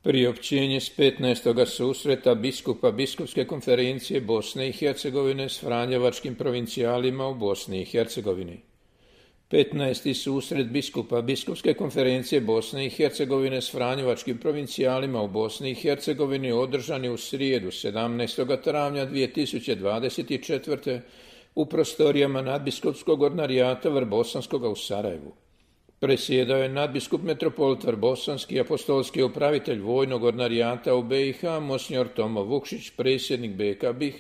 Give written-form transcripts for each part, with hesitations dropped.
Priopćenje s 15. susreta biskupa Biskupske konferencije Bosne i Hercegovine s franjevačkim provincijalima u Bosni i Hercegovini. 15. susret biskupa Biskupske konferencije Bosne i Hercegovine s franjevačkim provincijalima u Bosni i Hercegovini održan je u srijedu 17. travnja 2024. u prostorijama nadbiskupskog ordinarijata Vrbosanskoga u Sarajevu. Presjedao je nadbiskup metropolit Vrbosanski, apostolski upravitelj vojnog ordinarijata u BiH, monsignor Tomo Vukšić, predsjednik BK BiH,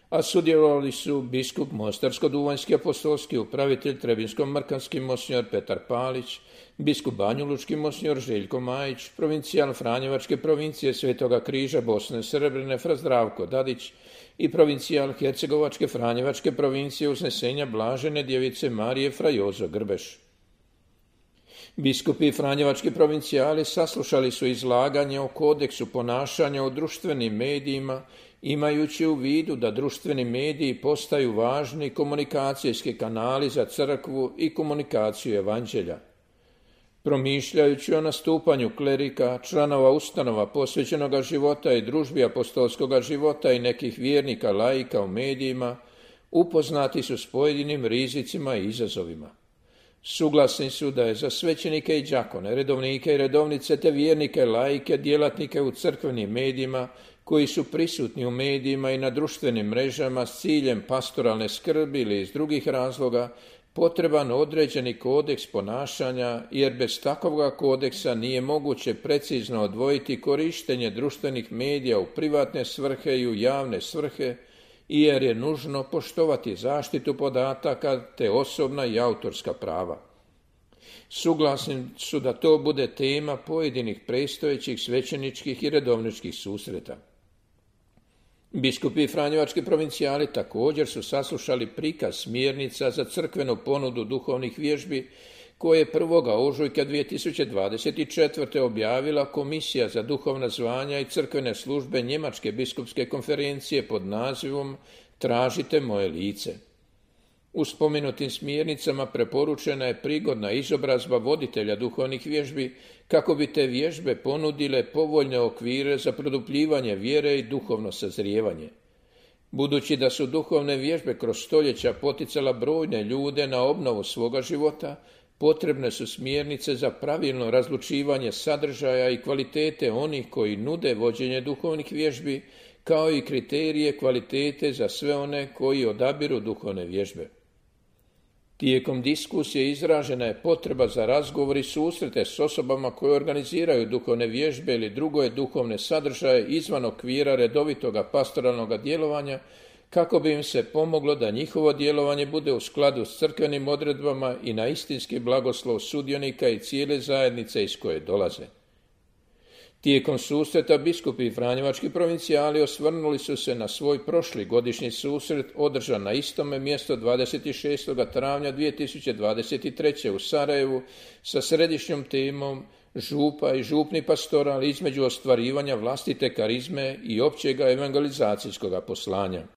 a sudjelovali su biskup Mostarsko-duvanjski apostolski upravitelj Trebinsko-mrkanski monsignor Petar Palić, biskup Banjulučki monsignor Željko Majić, provincijal Franjevačke provincije Svetoga križa Bosne Srebrene fra Zdravko Dadić i provincijal Hercegovačke Franjevačke provincije Uznesenja Blažene djevice Marije fra Jozo Grbeš. Biskupi i franjevački provincijali saslušali su izlaganje o kodeksu ponašanja u društvenim medijima, imajući u vidu da društveni mediji postaju važni komunikacijski kanali za crkvu i komunikaciju evanđelja. Promišljajući o nastupanju klerika, članova ustanova posvećenoga života i družbi apostolskoga života i nekih vjernika laika u medijima, upoznati su s pojedinim rizicima i izazovima. Suglasni su da je za svećenike i đakone, redovnike i redovnice te vjernike, laike, djelatnike u crkvenim medijima koji su prisutni u medijima i na društvenim mrežama s ciljem pastoralne skrbi ili iz drugih razloga potreban određeni kodeks ponašanja, jer bez takvoga kodeksa nije moguće precizno odvojiti korištenje društvenih medija u privatne svrhe i u javne svrhe, jer je nužno poštovati zaštitu podataka te osobna i autorska prava. Suglasni su da to bude tema pojedinih predstojećih svećeničkih i redovničkih susreta. Biskupi i franjevački provincijali također su saslušali prikaz smjernica za crkvenu ponudu duhovnih vježbi koje je 1. ožujka 2024. objavila Komisija za duhovna zvanja i crkvene službe Njemačke biskupske konferencije pod nazivom Tražite moje lice. U spomenutim smjernicama preporučena je prigodna izobrazba voditelja duhovnih vježbi kako bi te vježbe ponudile povoljne okvire za produbljivanje vjere i duhovno sazrijevanje. Budući da su duhovne vježbe kroz stoljeća poticala brojne ljude na obnovu svoga života, potrebne su smjernice za pravilno razlučivanje sadržaja i kvalitete onih koji nude vođenje duhovnih vježbi, kao i kriterije kvalitete za sve one koji odabiru duhovne vježbe. Tijekom diskusije izražena je potreba za razgovor i susrete s osobama koje organiziraju duhovne vježbe ili druge duhovne sadržaje izvan okvira redovitoga pastoralnog djelovanja, kako bi im se pomoglo da njihovo djelovanje bude u skladu s crkvenim odredbama i na istinski blagoslov sudionika i cijele zajednice iz koje dolaze. Tijekom susreta biskupi i franjevački provincijali osvrnuli su se na svoj prošli godišnji susret održan na istome mjestu 26. travnja 2023. u Sarajevu sa središnjom temom župa i župni pastoral između ostvarivanja vlastite karizme i općega evangelizacijskog poslanja.